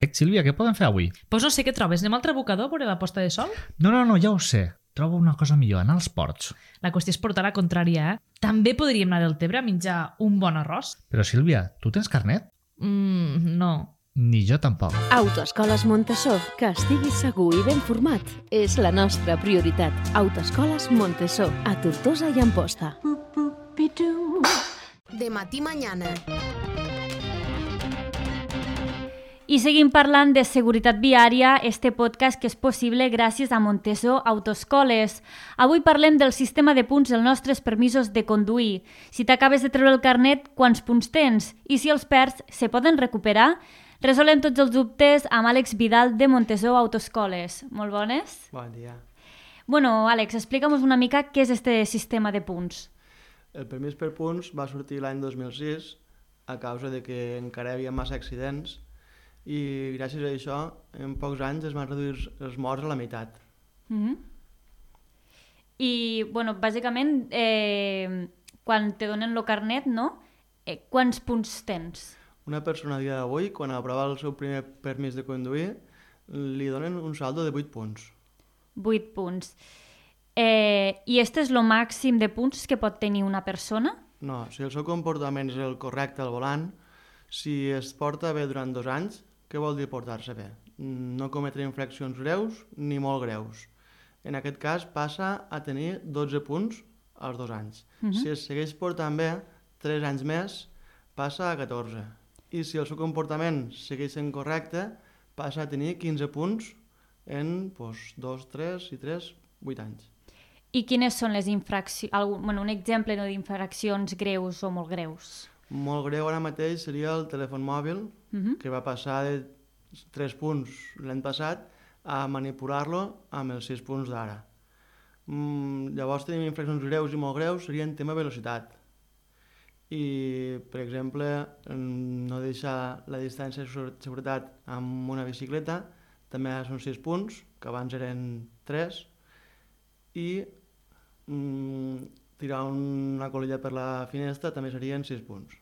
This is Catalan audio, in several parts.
Sílvia, què podem fer avui? Doncs no sé què trobes. Anem al trabucador a veure la posta de sol? No, ja ho sé. Trobo una cosa millor, anar als ports. La qüestió és portar la contrària, També podríem anar del Tebre a menjar un bon arròs? Però, Sílvia, tu tens carnet? No. Ni jo tampoc. Autoescoles Montessó, que estiguis segur i ben format, és la nostra prioritat. Autoescoles Montessó, a Tortosa i Amposta. De matí mañana. I seguim parlant de seguretat viària, este podcast que és possible gràcies a Montessó Autoescoles. Avui parlem del sistema de punts dels nostres permisos de conduir. Si t'acabes de treure el carnet, quants punts tens? I si els perds, se poden recuperar? Resolem tots els dubtes amb Àlex Vidal de Montessó Autoescoles. Molt bones? Bon dia. Bueno, Àlex, explica'm-nos una mica què és este sistema de punts. El permís per punts va sortir l'any 2006 a causa de que encara hi havia massa accidents i gràcies a això en pocs anys es van reduir els morts a la meitat. I, bueno, bàsicament, quan te donen el carnet, no? Quants punts tens? Una persona a dia d'avui, quan aprova el seu primer permís de conduir, li donen un saldo de 8 punts. 8 punts. I este és el màxim de punts que pot tenir una persona? No, si el seu comportament és el correcte al volant, si es porta bé durant 2 anys, què vol dir portar-se bé? No cometre infraccions greus ni molt greus. En aquest cas passa a tenir 12 punts als 2 anys. Si es segueix portant bé, 3 anys més, passa a 14. I si el seu comportament segueix sent correcte, passa a tenir 15 punts en 2, 3 i 3, 8 anys. I quines són les infraccions? Un exemple d'infraccions greus o molt greus? Molt greu ara mateix seria el telèfon mòbil, que va passar de 3 punts l'any passat a manipular-lo amb els 6 punts d'ara. Llavors tenim infraccions greus i molt greus, serien tema velocitat. I, per exemple, no deixar la distància de seguretat amb una bicicleta, també són 6 punts, que abans eren 3, i tirar una colilla per la finestra també serien 6 punts.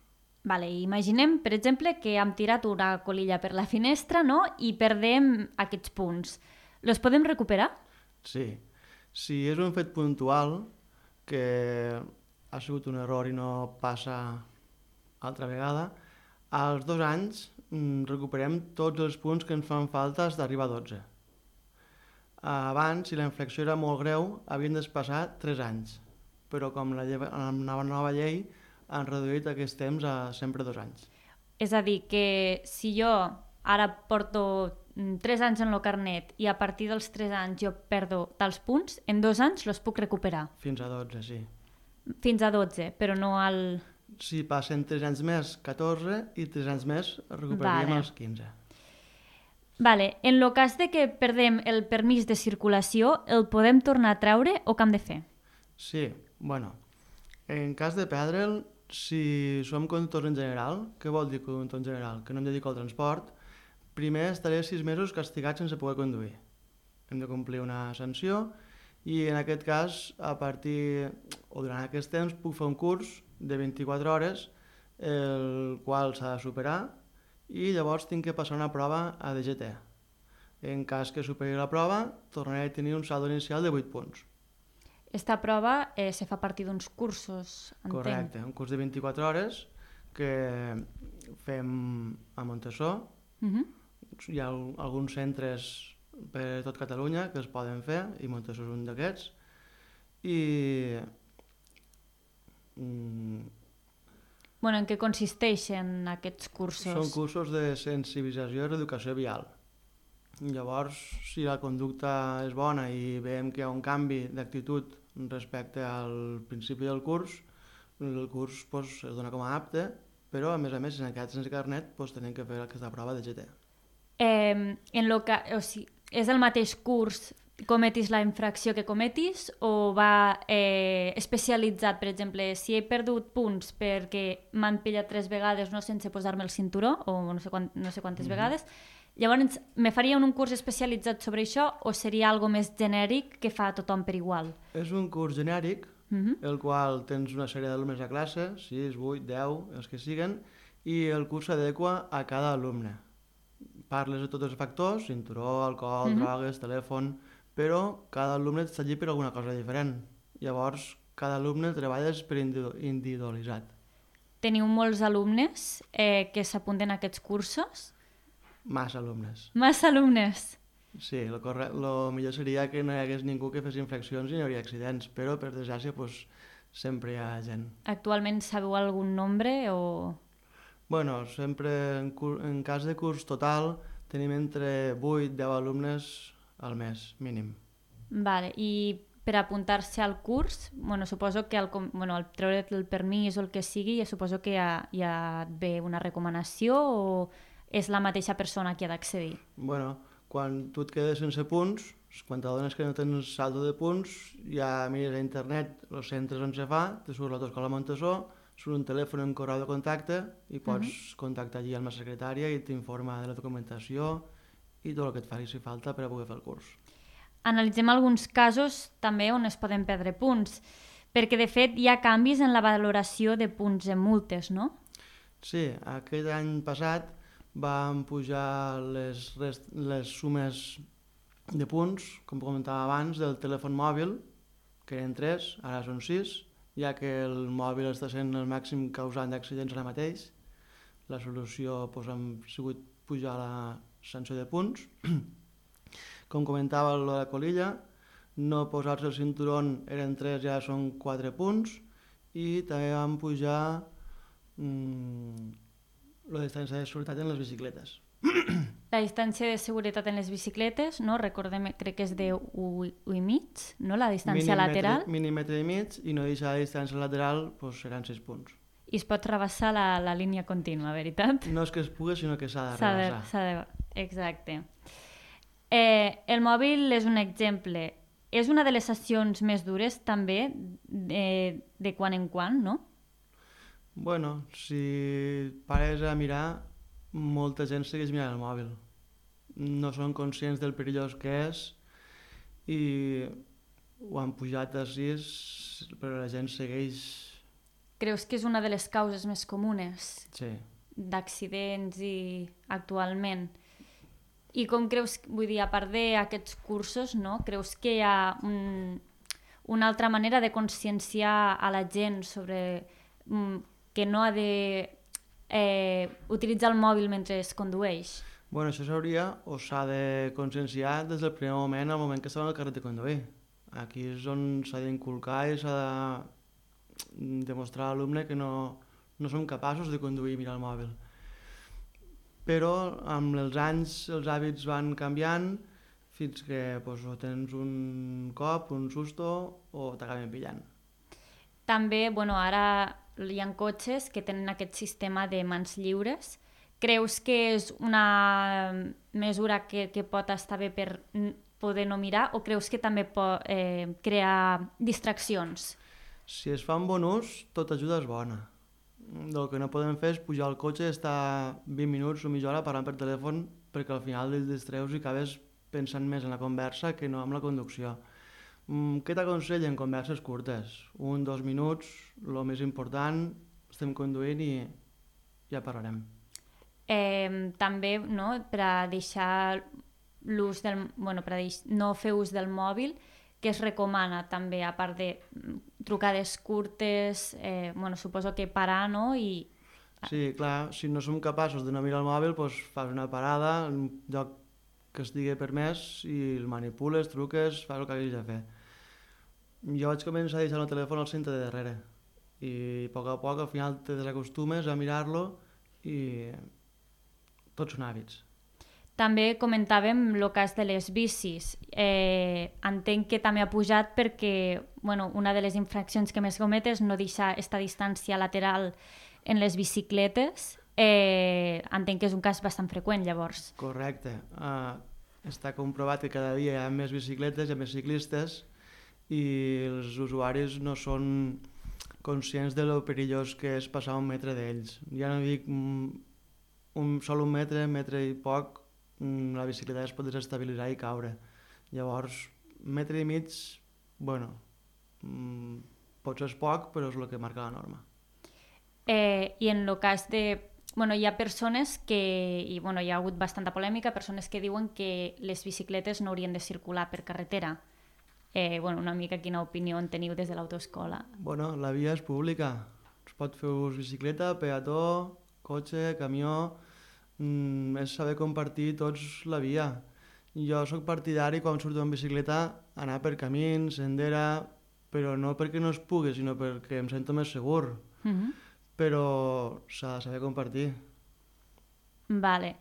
Vale, imaginem, per exemple, que hem tirat una colilla per la finestra, no?, i perdem aquests punts. Els podem recuperar? Sí. Si és un fet puntual, que ha sigut un error i no passa altra vegada, als 2 anys recuperem tots els punts que ens fan falta fins d'arribar a 12. Abans, si la infracció era molt greu, havien de passar 3 anys, però com la nova llei han reduït aquest temps a sempre 2 anys. És a dir, que si jo ara porto 3 anys en el carnet i a partir dels 3 anys jo perdo tals punts, en 2 anys els puc recuperar? Fins a 12, sí. Fins a 12, però no al... Si passen 3 anys més, 14, i 3 anys més recuperaríem els 15. Vale, en el cas de que perdem el permís de circulació, el podem tornar a treure o què hem de fer? Sí, bueno, en cas de perdre'l, si som conductors en general, què vol dir conductor en general? Que no em dedico al transport, primer estaré 6 mesos castigat sense poder conduir. Hem de complir una sanció i en aquest cas, a partir o durant aquest temps, puc fer un curs de 24 hores, el qual s'ha de superar, i llavors tinc que passar una prova a DGT. En cas que superi la prova, tornaré a tenir un saldo inicial de 8 punts. Esta prova se fa a partir d'uns cursos, entenc. Correcte, un curs de 24 hores que fem a Montessó. Hi ha alguns centres per tot Catalunya que es poden fer, i Montessó és un d'aquests. I... En què consisteixen aquests cursos? Són cursos de sensibilització i reeducació vial. Llavors, si la conducta és bona i veiem que hi ha un canvi d'actitud respecte al principi del curs, el curs es dona com a apte, però a més, si s'han quedat sense carnet, tenim que fer aquesta prova de GT. És el mateix curs cometis la infracció que cometis o va especialitzat? Per exemple, si he perdut punts perquè m'han pillat 3 vegades no sense posar-me el cinturó o no sé quantes vegades, llavors me farien un curs especialitzat sobre això o seria algo més genèric que fa tothom per igual? És un curs genèric, el qual tens una sèrie d'alumnes a classe, 6, 8, 10, els que siguen, i el curs s'adequa a cada alumne. parles de tots els factors, cinturó, alcohol, drogues, telèfon, però cada alumne està allí per alguna cosa diferent. Llavors, cada alumne treballes per individualitzat. Teniu molts alumnes que s'apunten a aquests cursos? Massa alumnes. Massa alumnes? Sí, el millor seria que no hi hagués ningú que fes infraccions i no hi hauria accidents, però per desgràcia sempre hi ha gent. Actualment sabeu algun nombre o...? Bueno, sempre en cas de curs total tenim entre 8 i 10 alumnes al mes, mínim. Vale, i per apuntar-se al curs, suposo que al treure el permís o el que sigui, suposo que hi ha d'haver una recomanació o és la mateixa persona qui ha d'accedir? Bueno, quan tu et quedes sense punts, quan t'adones que no tens saldo de punts, ja mires a internet els centres on se fa, te surt l'Autoscola Montessó, surt un telèfon en correu de contacte i pots contactar allí amb la secretària i t'informa de la documentació i tot el que et faci falta per a poder fer el curs. Analitzem alguns casos també on es poden perdre punts, perquè de fet hi ha canvis en la valoració de punts en multes, no? Sí, aquest any passat vam pujar les sumes de punts, com comentava abans, del telèfon mòbil, que eren 3, ara són 6, ja que el mòbil està sent el màxim causant d'accidents ara mateix. La solució ha sigut pujar la sanció de punts. Com comentava la colilla, no posar-se el cinturó eren 3, ja són 4 punts, i també vam pujar la distància de seguretat en les bicicletes. La distància de seguretat en les bicicletes, no? Recordem, crec que és de 1,5, no? La distància lateral. Mínim metre i mig, i no deixar la distància lateral, seran 6 punts. I es pot rebassar la línia contínua, veritat? No és que es pugui, sinó que s'ha de rebassar. Exacte. El mòbil és un exemple. És una de les sessions més dures, també, de quan en quan, no? Bueno, si pares a mirar, molta gent segueix mirant el mòbil. No són conscients del perillós que és i ho han pujat a 6, però la gent segueix... Creus que és una de les causes més comunes d'accidents actualment? I com creus, vull dir, a part d'aquests cursos, no? Creus que hi ha una altra manera de conscienciar a la gent sobre que no ha de utilitzar el mòbil mentre es condueix? Bueno, això s'ha de conscienciar des del primer moment, al moment que estava en el carnet de conduir. Aquí és on s'ha d'inculcar i s'ha de demostrar a l'alumne que no som capaços de conduir i mirar el mòbil. Però amb els anys els hàbits van canviant fins que o tens un cop, un susto o t'acaben pillant. També, ara hi ha cotxes que tenen aquest sistema de mans lliures. Creus que és una mesura que pot estar bé per poder no mirar o creus que també pot crear distraccions? Si es fa un bon ús, tota ajuda és bona. El que no podem fer és pujar al cotxe i estar 20 minuts o mitja hora parlant per telèfon perquè al final et distreus i acabes pensant més en la conversa que no en la conducció. Què t'aconsellen? Converses curtes, 1-2 minuts, el més important, estem conduint i ja parlarem. També, no, per a deixar l'ús per a no fer ús del mòbil, que es recomana també, a part de trucades curtes, suposo que parar, no? Sí, clar, si no som capaços de no mirar el mòbil, fas una parada en un lloc que estigui permès i el manipules, truques, fas el que hagis de fer. Jo vaig començar a deixar el telèfon al centre de darrere i a poc al final te desacostumes a mirar-lo i tots són hàbits. També comentàvem el cas de les bicis. Entenc que també ha pujat perquè una de les infraccions que més comet és no deixar aquesta distància lateral en les bicicletes. Entenc que és un cas bastant freqüent, llavors. Correcte. Està comprovat que cada dia hi ha més bicicletes, hi ha més ciclistes i els usuaris no són conscients de lo perillós que és passar un metre d'ells. Ja no dic sol un metre i poc, la bicicleta es pot desestabilitzar i caure. Llavors, metre i mig, potser és poc, però és el que marca la norma. I en el cas de bueno, hi ha persones que, i bueno, hi ha hagut bastanta polèmica, persones que diuen que les bicicletes no haurien de circular per carretera. Bueno, una mica quina opinió en teniu des de l'autoescola? Bueno, la via és pública. Es pot fer ús bicicleta, peató, cotxe, camió... és saber compartir tots la via. Jo sóc partidari, quan surto en bicicleta, anar per camins, sendera, però no perquè no es pugui, sinó perquè em sento més segur. Però s'ha de saber compartir. Vale.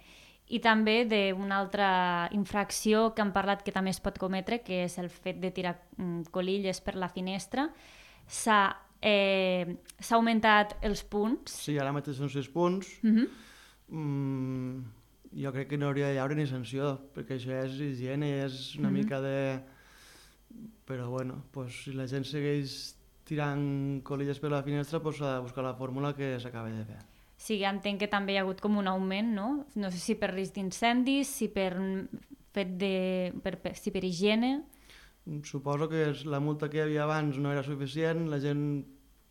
I també d'una altra infracció que han parlat que també es pot cometre, que és el fet de tirar colilles per la finestra. S'ha augmentat els punts. Sí, ara mateix són 6 punts. Jo crec que no hauria de haure ni sanció, perquè això és higiene, és una mica de... Però bueno, pues, si la gent segueix tirant colilles per la finestra, pues, s'ha de buscar la fórmula que s'acaba de fer. Sí, entenc que també hi ha hagut com un augment, no? No sé si per risc d'incendis, si per higiene... Suposo que la multa que hi havia abans no era suficient, la gent,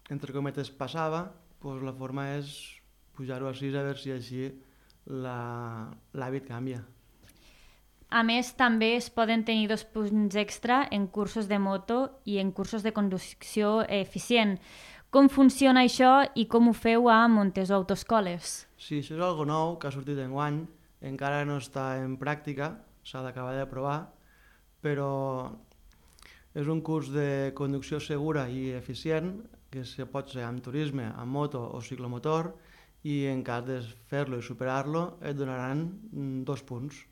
entre cometes, passava, pues la forma és pujar-ho a 6 a veure si així l'hàbit canvia. A més, també es poden tenir 2 punts extra en cursos de moto i en cursos de conducció eficient. Com funciona això i com ho feu a Montesó Autoescoles? Sí, això és algo nou que ha sortit enguany, encara no està en pràctica, s'ha d'acabar de provar, però és un curs de conducció segura i eficient, que pot ser amb turisme, amb moto o ciclomotor, i en cas de fer-lo i superar-lo et donaran 2 punts.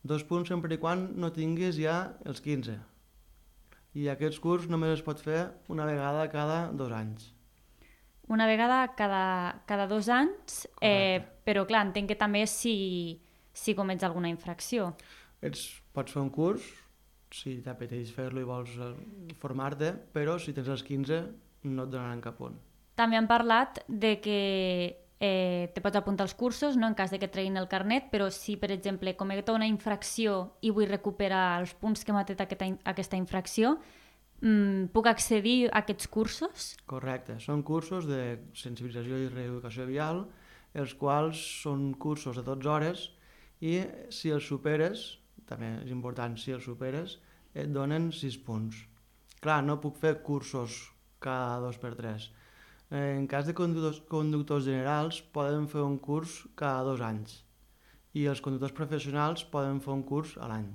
2 punts sempre i quan no tinguis ja els 15. I aquest curs només es pot fer una vegada cada 2 anys. Una vegada cada 2 anys, però clar, entenc que també si comets alguna infracció. Pots fer un curs, si t'apeteix fer-lo i vols formar-te, però si tens els 15 no et donaran cap punt. També han parlat de que te pots apuntar als cursos, no en cas de que treguin el carnet, però si, per exemple, cometo una infracció i vull recuperar els punts que m'ha tret aquesta infracció, puc accedir a aquests cursos? Correcte, són cursos de sensibilització i reeducació vial, els quals són cursos de 12 hores i si els superes, també és important, si els superes, et donen 6 punts. Clar, no puc fer cursos cada 2x3. En cas de conductors generals poden fer un curs cada 2 anys i els conductors professionals poden fer un curs a l'any.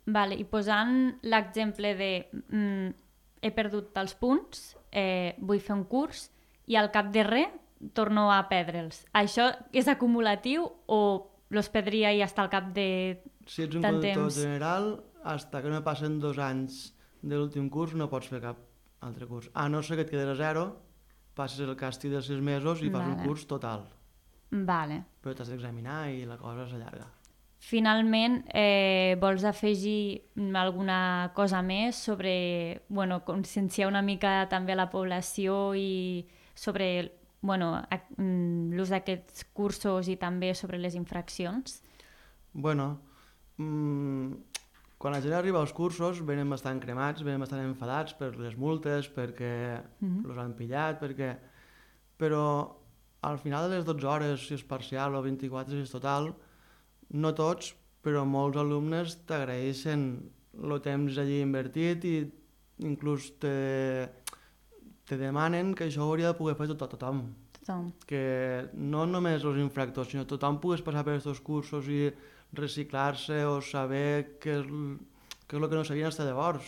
Vale, i posant l'exemple de he perdut els punts, vull fer un curs i al cap de res torno a perdre'ls. Això és acumulatiu o los perdria i hasta al cap de si ets un tant conductor temps? general, fins que no passen 2 anys de l'últim curs no pots fer cap altre curs. A no ser que et quedes a 0, passes el càstig de 6 mesos i fas un curs total. Vale. Però t'has d'examinar i la cosa s'allarga. Finalment, vols afegir alguna cosa més sobre conscienciar una mica també a la població i sobre l'ús d'aquests cursos i també sobre les infraccions? Quan la gent arriba als cursos venen bastant cremats, venen bastant enfadats per les multes, perquè els han pillat, però al final de les 12 hores, si és parcial o 24 si és total, no tots, però molts alumnes t'agraeixen el temps allí invertit i inclús te demanen que això ho hauria de poder fer tothom. Que no només els infractors, sinó tothom pogués passar per aquests cursos i reciclar-se o saber què és el que no sabien fins llavors.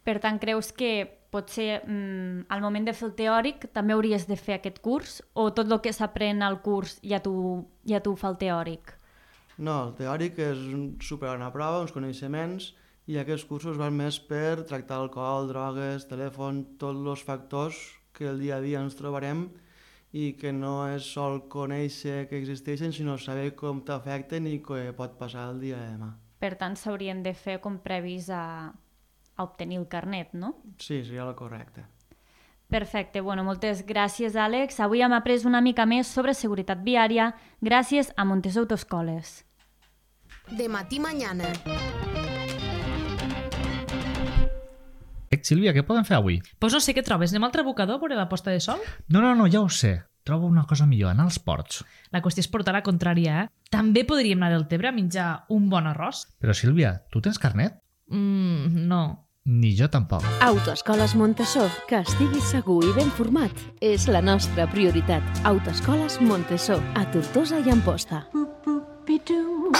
Per tant, creus que potser al moment de fer el teòric també hauries de fer aquest curs o tot el que s'aprèn al curs ja t'ho fa el teòric? No, el teòric és superar una prova, uns coneixements, i aquests cursos van més per tractar alcohol, drogues, telèfon, tots els factors que el dia a dia ens trobarem i que no és sol conèixer que existeixen, sinó saber com t'afecten i què pot passar el dia de demà. Per tant, s'haurien de fer com previs a obtenir el carnet, no? Sí, seria el correcte. Perfecte, moltes gràcies, Àlex. Avui hem après una mica més sobre seguretat viària gràcies a Montesó Autoescoles. De matí mañana. Sílvia, què podem fer avui? Pues no sé què trobes. Anem al trabucador a veure la posta de sol? No, ja ho sé. trobo una cosa millor, anar als ports. La qüestió és portar la contrària, També podríem anar del Tebre a menjar un bon arròs? Però, Sílvia, tu tens carnet? No. Ni jo tampoc. Autoescoles Montessó, que estiguis segur i ben format, és la nostra prioritat. Autoescoles Montessó, a Tortosa i Amposta. Boop, boop, be doo.